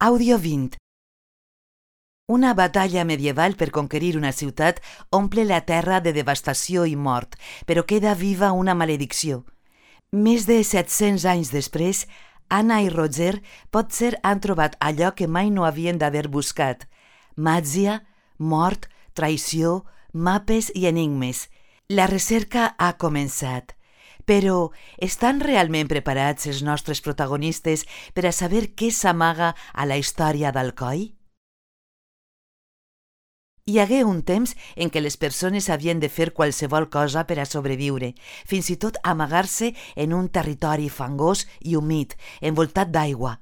Audio 20. Una batalla medieval per conquerir una ciutat omple la terra de devastació i mort, però queda viva una maledicció. Més de 700 anys després, Anna i Roger potser han trobat allò que mai no havien d'haver buscat: màgia, mort, traïció, mapes i enigmes. La recerca ha començat. Però estan realment preparats els nostres protagonistes per a saber què s'amaga a la història d'Alcoi? Hi hagué un temps en què les persones havien de fer qualsevol cosa per a sobreviure, fins i tot amagar-se en un territori fangós i humit, envoltat d'aigua.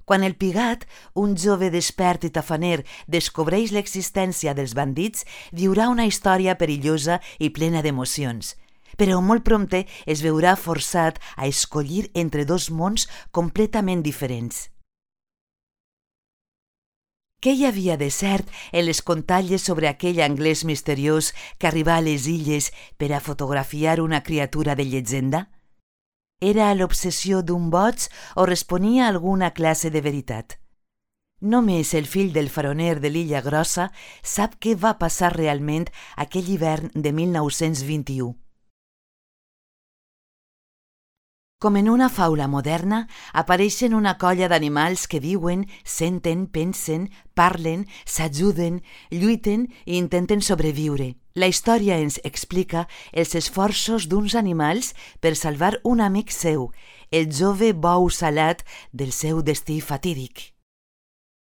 Quan el Pigat, un jove despert i tafaner, descobreix l'existència dels bandits, viurà una història perillosa i plena d'emocions. Però molt prompte es veurà forçat a escollir entre dos mons completament diferents. Què hi havia de cert en les contalles sobre aquell anglès misteriós que arribà a les illes per a fotografiar una criatura de llegenda? Era l'obsessió d'un boig o responia a alguna classe de veritat? Només el fill del faroner de l'Illa Grossa sap què va passar realment aquell hivern de 1921. Com en una faula moderna, apareixen una colla d'animals que viuen, senten, pensen, parlen, s'ajuden, lluiten i intenten sobreviure. La història ens explica els esforços d'uns animals per salvar un amic seu, el jove bou salat del seu destí fatídic.